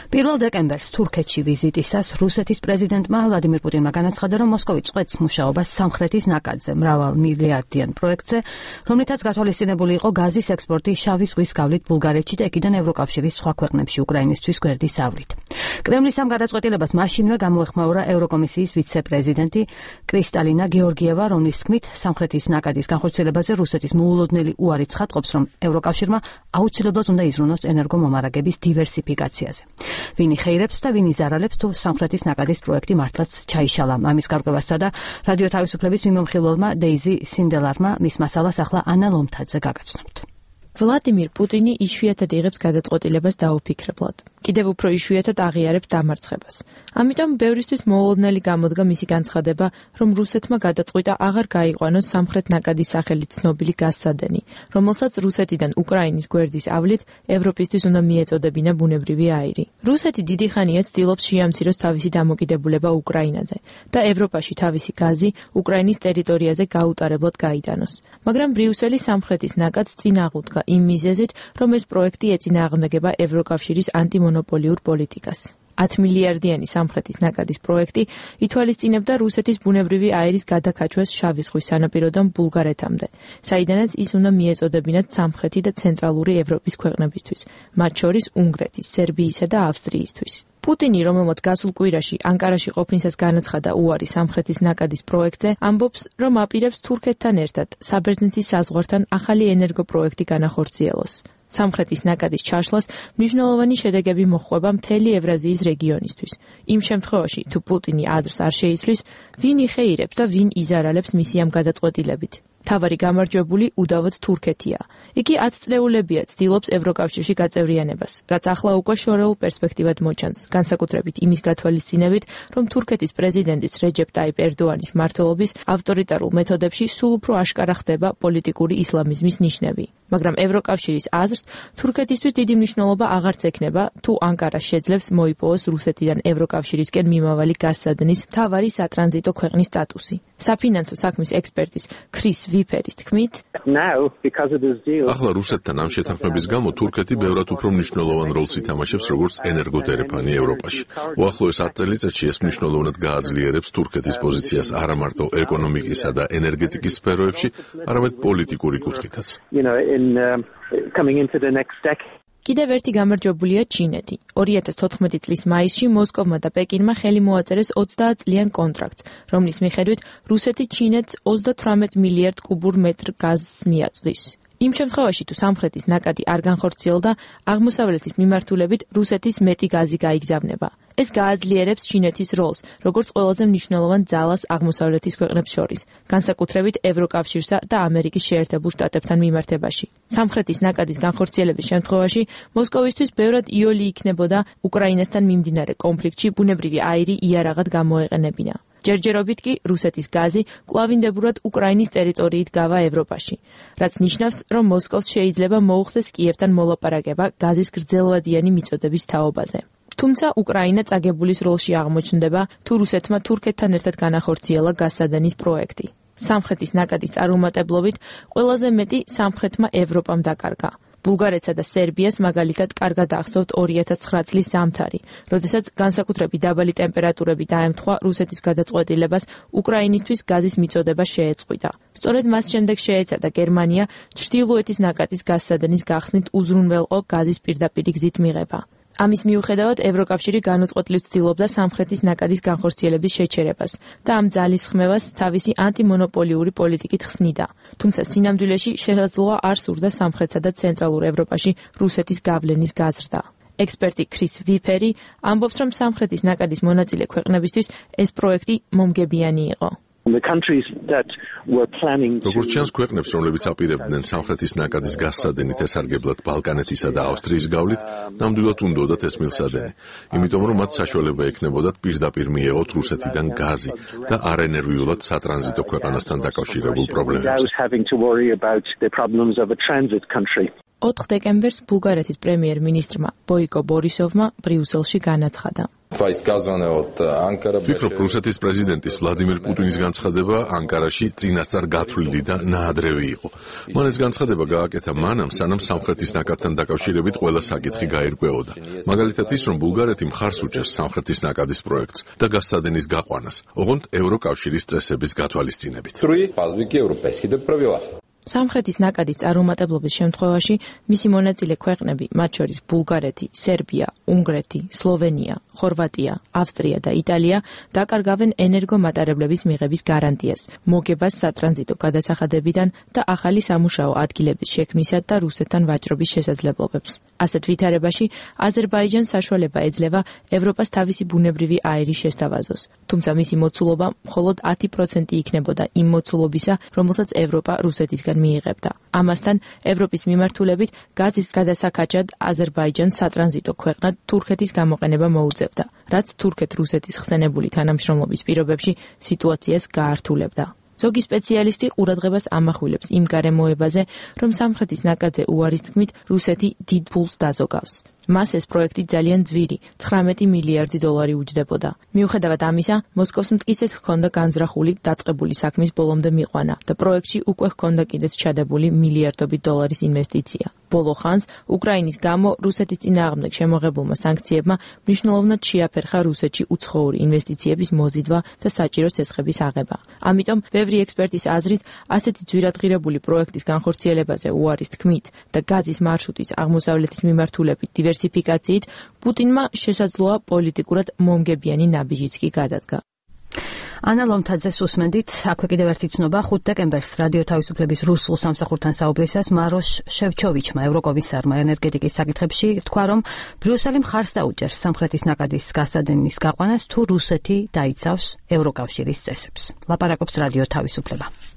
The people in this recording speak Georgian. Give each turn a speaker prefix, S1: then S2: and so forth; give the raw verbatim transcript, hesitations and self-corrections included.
S1: პირველ დეკემბერს თურქეთში ვიზიტისას რუსეთის პრეზიდენტმა ვლადიმირ პუტინმა განაცხადა, რომ მოსკოვი წყვეტს მუშაობას სამხრეთის ნაკადზე, მრავალ მილიარდიან პროექტზე, რომლითაც გათვალისწინებული იყო გაზის ექსპორტი შავი ზღვის გავლით ბულგარეთში და იქიდან ევროკავშირის სხვა ქვეყნებში უკრაინისთვის გვერდის ავლით. კრემლის ამ გადაწყვეტილებას მაშინვე გამოეხმაურა ევროკომისიის ვიცე-პრეზიდენტი კრისტალინა გეორგიევა, რომლის თქმით სამხრეთის ნაკადის განხორციელებაზე რუსეთის მოულოდნელი უარი ცხადყოფს, რომ ევროკავშირმა აუცილებლად უნდა იზრუნოს ენერგომომარაგების დივერსიფიკაციაზე. ვინ იხეირებს და ვინ იზარალებს თუ სამხრეთის ნაკადის პროექტი მართლაც ჩაიშალა. ამის გარკვევას სცადა რადიო თავისუფლების მიმოხილველმა დეიზი სინდელარმა, მის მასალას ახლა ანა ლომთაძე გაგაცნობთ.
S2: ვლადიმირ პუტინი იშვიათად იღებს გადაწყვეტილებას დაუფიქრებლად. კიდევ უფრო იშვიათად აღიარებს დამარცხებას. ამიტომ ბევრისთვის მოულოდნელი გამოდგა მისი განცხადება, რომ რუსეთმა გადაწყვიტა აღარ გაიყვანოს სამხრეთ ნაკადის სახელით ცნობილი გაზსადენი, რომელსაც რუსეთიდან უკრაინის გვერდის ავლით ევროპისთვის უნდა მიეწოდებინა ბუნებრივი აირი. რუსეთი დიდი ხანია ცდილობს შეამციროს თავისი დამოკიდებულება უკრაინაზე და ევროპაში თავისი გაზი უკრაინის ტერიტორიაზე გაუტარებლად გაიტანოს. მაგრამ ბრიუსელი სამხრეთის ნაკადს წინ აღუდგა იმ მიზეზით, რომ ეს პროექტი ეწინააღმდეგება ევროკავშირის ანტიმონოპოლიურ პოლიტიკას. ათი მილიარდიანი სამხრეთის ნაკადის პროექტი ითვალისწინებდა რუსეთის ბუნებრივი აირის გადაქაჩვას შავი ზღვის სანაპიროდან ბულგარეთამდე, საიდანაც ის უნდა მიეწოდებინათ სამხრეთი და ცენტრალური ევროპის ქვეყნებისთვის, მათ შორის უნგრეთის, სერბიისა და ავსტრიისთვის. პუტინი, რომელმაც გასულ კვირაში ანკარაში ყოფნისას განაცხადა უარი სამხრეთის ნაკადის პროექტზე, ამბობს, რომ აპირებს თურქეთთან ერთად საბერძნეთის საზღვართან ახალი ენერგოპროექტი განახორციელოს. სამხრეთის ნაკადის ჩაშლას მნიშვნელოვანი შედეგები მოჰყვება მთელი ევრაზიის რეგიონისთვის. იმ შემთხვევაში, თუ პუტინი აზრს არ შეიცვლის, ვინ იხეირებს და ვინ იზარალებს მისი ამ გადაწყვეტილებით. თავარი გამარჯვებული უდავოდ თურქეთია. იგი ათწლეულებია ცდილობს ევროკავშირში გაწევრიანებას, რაც ახლა უკვე შორეულ პერსპექტივად მოჩანს, განსაკუთრებით იმის გათვალისწინებით, რომ თურქეთის პრეზიდენტის რეჯეპ ტაიპ ერდოანის მმართველობის ავტორიტარულ მეთოდებში სულ უფრო აშკარა ხდება პოლიტიკური ისლამიზმის ნიშნები. მაგრამ ევროკავშირის აზრს თურქეთისთვის დიდი მნიშვნელობა აღარც ექნება, თუ ანკარა შეძლებს მოიპოვოს რუსეთიდან ევროკავშირისკენ მიმავალი გაზსადნის მთავარი სატრანზიტო ქვეყნის სტატუსი. საფინანსო საქმის ექსპერტის ქრის ვიფერის თქმით,
S3: ახლა რუსეთთან ამ შეთანხმების გამო თურქეთი ბევრად უფრო მნიშვნელოვან როლს ითამაშებს როგორც ენერგოდერეფანი ევროპაში. უახლოეს ათ წელიწადში ეს მნიშვნელოვნად გააძლიერებს თურქეთის პოზიციას არა მარტო ეკონომიკისა და ენერგეტიკის სფეროებში, არამედ პოლიტიკური კუთხითაც.
S2: კიდევ ერთი გამარჯვებულია ჩინეთი. ორი ათას თოთხმეტი წლის მაისში მოსკოვმა და პეკინმა ხელი მოაწერეს ოცდაათ წლიან კონტრაქტს, რომლის მიხედვით რუსეთი ჩინეთს ოცდათვრამეტ მილიარდ კუბურ მეტრ გაზს მიაწვდის. იმ შემთხვევაში, თუ სამხრეთის ნაკადი არ განხორციელდა, აღმოსავლეთის მიმართულებით რუსეთის მეტი გაზი გაიგზავნება. ეს გააძლიერებს ჩინეთის როლს, როგორც ყველაზე მნიშვნელოვან ძალას აღმოსავლეთის ქვეყნებს შორის, განსაკუთრებით ევროკავშირსა და ამერიკის შეერთებულ შტატებთან მიმართებაში. სამხრეთის ნაკადის განხორციელების შემთხვევაში მოსკოვისთვის ბევრად იოლი იქნებოდა უკრაინასთან მიმდინარე კონფლიქტში ბუნებრივი აირი იარაღად გამოეყენებინა. ჯერჯერობით კი რუსეთის გაზი კვლავინდებურად უკრაინის ტერიტორიით გავა ევროპაში, რაც ნიშნავს, რომ მოსკოვს შეიძლება მოუხდეს კიევთან მოლაპარაკება გაზის გრძელვადიანი მიწოდების თაობაზე. თუმცა უკრაინა წაგებულის როლში აღმოჩნდება, თუ რუსეთმა თურქეთთან ერთად განახორციელა გაზსადენის პროექტი. სამხრეთის ნაკადის წარუმატებლობით ყველაზე მეტი სამხრეთმა ევროპამ დაკარგა. ბულგარეთსა და სერბიას მაგალითად კარგად ახსოვთ ორი ათას ცხრა წლის ზამთარი, როდესაც განსაკუთრებით დაბალი ტემპერატურები დაემთხვა რუსეთის გადაწყვეტილებას უკრაინისთვის გაზის მიწოდება შეეწყვიტა. სწორედ მას შემდეგ შეეცადა გერმანია ჩრდილოეთის ნაკადის გაზსადენის გახსნით უზრუნველყო გაზის პირდაპირი გზით მიღება. ამის მიუხედავად ევროკავშირი განუწყვეტლივ ცდილობდა სამხრეთის ნაკადის განხორციელების შეჩერებას და ამ ძალის ხმევას თავისი ანტიმონოპოლიური პოლიტიკით ხსნიდა. თუმცა სინამდვილეში შესაძლოა არ სურდა სამხრეთსა და ცენტრალურ ევროპაში რუსეთის გავლენის გაზრდა. ექსპერტი ქრის ვიფერი ამბობს, რომ სამხრეთის ნაკადის მონაწილე ქვეყნებისთვის ეს პროექტი მომგებიანი იყო.
S3: როგორც ჩანს, ქვეყნებს, რომლებიც აპირებდნენ სამხრეთის ნაკადის გაზსადენით ესარგებლად ბალკანეთისა და ავსტრიის გავლით, ნამდვილად უნდოდათ ეს მილსადენი, იმიტომ რომ მათ საშუალება ექნებოდათ პირდაპირ მიეღოთ რუსეთიდან გაზი და არენერვიულად სატრანზიტო ქვეყანასთან დაკავშირებულ პრობლემებს.
S2: ოთხ დეკემბერს ბულგარეთის პრემიერ-მინისტრმა ბოიკო ბორისოვმა ბრიუსელში განაცხადა.
S3: ვფიქრობ, რუსეთის პრეზიდენტის ვლადიმერ პუტინის განცხადება ანკარაში წინასწარ გათვლილი და ნაადრევი იყო. მან ეს განცხადება გააკეთა მანამ, სანამ სამხრეთის ნაკადთან დაკავშირებით ყველა საკითხი გაირკვეოდა. მაგალითად ის, რომ ბულგარეთი მხარს უჭერს სამხრეთის ნაკადის პროექტს და გაზსადენის გაყვანას, ოღონდ ევროკავშირის წესების გათვალისწინებით.
S2: სამხრეთის ნაკადის წარუმატებლობის შემთხვევაში მისი მონაწილე ქვეყნები, მათ შორის ბულგარეთი, სერბია, უნგრეთი, სლოვენია, ხორვატია, ავსტრია და იტალია დაკარგავენ ენერგომატარებლების მიღების გარანტიას, მოგებას სატრანზიტო გადასახადებიდან და ახალი სამუშაო ადგილების შექმნისა და რუსეთთან ვაჭრობის შესაძლებლობებს. ასეთ ვითარებაში აზერბაიჯანს საშუალება ეძლევა ევროპას თავისი ბუნებრივი აირი შესთავაზოს, თუმცა მისი მოცულობა მხოლოდ ათი პროცენტი იქნებოდა იმ მოცულობისა, რომელსაც ევროპა რუსეთისგან მიიღებდა. ამასთან, ევროპის მიმართულებით გაზის გადასაქაჯად აზერბაიჯანს სატრანზიტო ქვეყნად თურქეთის გამოყენება მოუწევდა, რაც თურქეთ-რუსეთის ხსენებული თანამშრომლობის პირობებში სიტუაციას გაართულებდა. ზოგი სპეციალისტი ყურადღებას ამახვილებს იმ გარემოებაზე, რომ სამხრეთის ნაკადზე უარის თქმით რუსეთი დიდ ფულს დაზოგავს. მას ეს პროექტი ძალიან ძვირი, ცხრამეტი მილიარდი დოლარი უჯდებოდა. მიუხედავად ამისა, მოსკოვს მტკიცედ ჰქონდა განზრახული დაწყებული საქმის ბოლომდე მიყვანა და პროექტში უკვე ჰქონდა კიდეც ჩადებული მილიარდობით დოლარის ინვესტიცია. ბოლო ხანს უკრაინის გამო რუსეთის წინააღმდეგ შემოღებულმა სანქციებმა მნიშვნელოვნად შეაფერხა რუსეთში უცხოური ინვესტიციების მოზიდვა და საჭირო სესხების აღება. ამიტომ ბევრი ექსპერტის აზრით, ასეთი ძვირადღირებული პროექტის განხორციელებაზე უარის თქმით და გაზის მარშრუტის აღმოსავლეთის მიმართულებით დივერსიფიკაციით პუტინმა შესაძლოა პოლიტიკურად მომგებიანი ნაბიჯიც კი გადადგა. ანა ლომთაძეს უსმენდით, აქვე კიდევ ერთი ცნობა, ხუთი დეკემბერს რადიო თავისუფლების რუსულ სამსახურთან საუბრისას მაროშ შევჩოვიჩმა, ევროკომისარმა ენერგეტიკის საკითხებში თქვა, რომ ბრიუსელი მხარს დაუჭერს სამხრეთის ნაკადის გაზსადენის გაყვანას, თუ რუსეთი დაიცავს ევროკავშირის წესებს. ლაპარაკობს რადიო თავისუფლება.